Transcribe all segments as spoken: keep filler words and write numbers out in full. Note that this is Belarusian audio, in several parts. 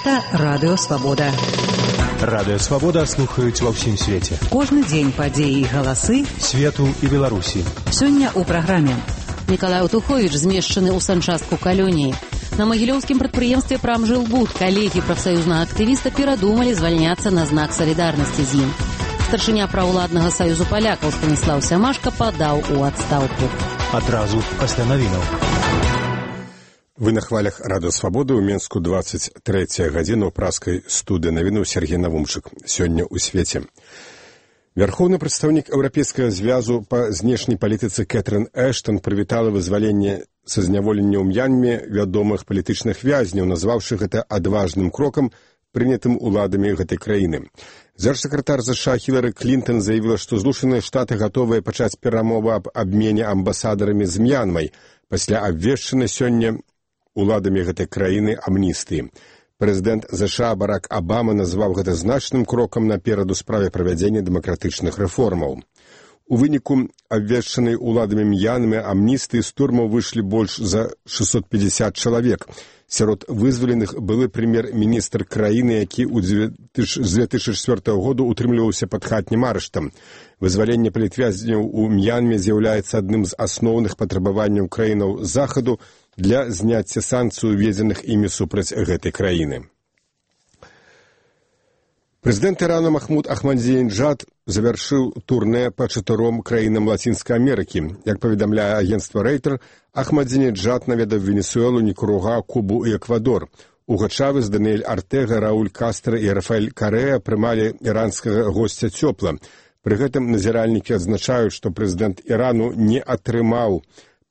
Гэта Радыё Свабода. Радыё Свабода слухаюць ва ўсім свеце. Кожны дзень падзеі і галасы свету і Беларусі. Сёння ў праграме. Мікалай Туховіч змешчаны ў санчастку калоніі. На магілёўскім прадпрыемстве «Прамжылбуд» калегі прафсаюзнага актывіста перадумалі звальняцца на знак салідарнасці з ім. Старшыня праўладнага саюзу палякаў Станіслаў Сямашка падаў у адстаўку. Адразу пасля навінаў. Вы на хвалях Радыё Свабоды. У Менску двадцать третья гадзіна ў праскай студыі навіну Сергей Навумчык. Сёння ў свеце. Вярхоўны прадстаўнік Еўрапейскага звязу па знешняй палітыцы Кэтрын Эштон прывітала вызваленне са зняволення ў М'янме вядомых палітычных вязняў, назваўшы гэта адважным крокам, прынятым уладамі гэтай краіны. Дзяржсакратар ЗША Хілары Клінтон заявіла, што Злучаныя Штаты гатовыя пачаць перамовы аб абмене амбасадарамі з М'янмай пасля абвешчанай сёння уладамі гэтай краіны амністыі. Прэзідэнт ЗША Барак Абама назваў гэта значным крокам наперад у справе правядзення дэмакратычных рэформаў. У выніку абвешчанай уладамі М'янмы амністыі з турмаў выйшлі больш за шестьсот пятьдесят чалавек. Сярод вызваленых былы прэм'ер-міністр краіны, які з две тысячи четвёртага году утрымліваўся пад хатнім арыштам. Вызваленне палітвязняў у М'янме з'яўляецца адным з асноўных патрабаванняў краінаў захаду для зняцця санкцый, уведзеных імі супраць гэтай краіны. Прэзідэнт Ірану Махмуд Ахмадзінеджад завяршыў турнэ па чатыром краінам Лацінскай Амерыкі. Як паведамляе агенцтва Рейтер, Ахмадзінеджад наведаў Венесуэлу, Нікаруга, Кубу і Эквадор. Уго Чавес, Даниэль Артега, Рауль Кастро і Рафаэль Карэа прымалі іранскага госця цёпла. Пры гэтым назіральнікі адзначаюць, што прэзідэнт Ірану не атрымаў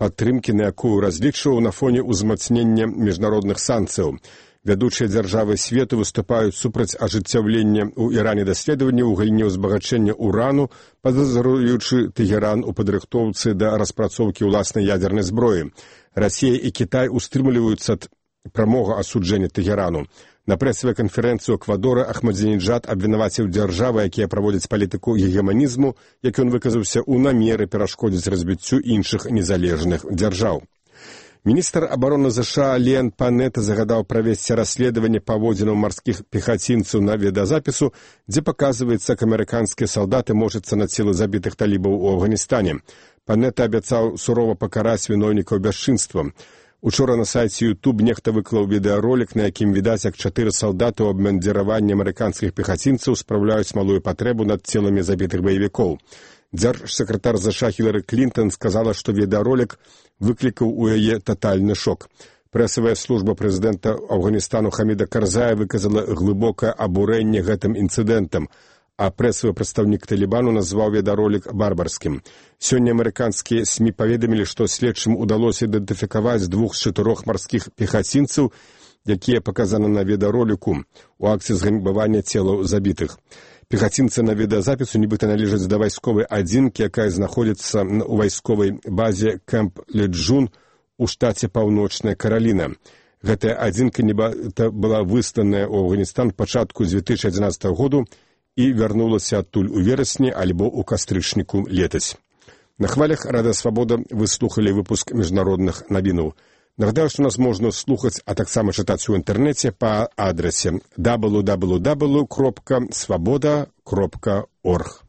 падтрымкі, на якую разлічваў на фоне ўзмацнення міжнародных санкцыяў. Вядучыя дзяржавы свету выступаюць супраць ажыццяўлення ў Іране даследавання ў галіне ўзбагачэння урану, падазруючы Тэгеран у падрыхтоўцы да распрацоўкі ўласнай ядзернай зброі. Расія і Кітай устрымліваюцца ад прамога асуджэння Тэгерану. На прэсавай канферэнцыі Эквадора Ахмадзінеджад абвінаваціў дзяржавы, якія праводзяць палітыку гегеманізму, як ён выказаўся, у намеры перашкодзіць развіццю іншых незалежных дзяржаў. Міністр абароны ЗША Леон Панетта загадаў правесці расследаванне паводзінаў марскіх пехацінцаў на відэазапісу, дзе паказваецца, як амерыканскія салдаты можацца на целы забітых талібаў у Афганістане. Панетта абяцаў сурова пакараць вінойнікаў бясчынствам. Учора на сайце YouTube нехта выклаў відэаролік, на якім відаць, як чатыры салдаты ў абмундзіраванні амерыканскіх пехацінцаў спраўляюць малую патрэбу над целамі забітых баевікоў. Дзяржсакратар ЗША Хілары Клінтон сказала, што відэаролік выклікаў у яе татальны шок. Прэсавая служба прэзідэнта Афганістану Хаміда Карзая выказала глыбокае абурэнне гэтым інцыдэнтам, а прэсавы прадстаўнік Талібану назваў відэаролік барбарскім. Сёння амерыканскія СМІ паведамілі, што следчым удалося ідэнтыфікаваць двух з чатырох марскіх пехацінцаў, якія паказаны на відэароліку у акцыі зганьбавання целаў забітых. Пехацінцы на відэазапісу нібыта належаць да вайсковай адзінкі, якая знаходзіцца ў вайсковай базе Кэмп Леджун у штаце Паўночная Караліна. Гэтая адзінка нібыта была высланая ў Афганістан пачатку две тысячи адзінаццатага году і вярнулася адтуль у верасні альбо ў кастрычніку летась. На хвалях Радыё Свабода вы слухалі выпуск міжнародных навінаў. Нагадаю, што нас можна слухаць, а таксама чытаць у інтэрнэце па адрасе дабл ю дабл ю дабл ю крапка свабода крапка орг.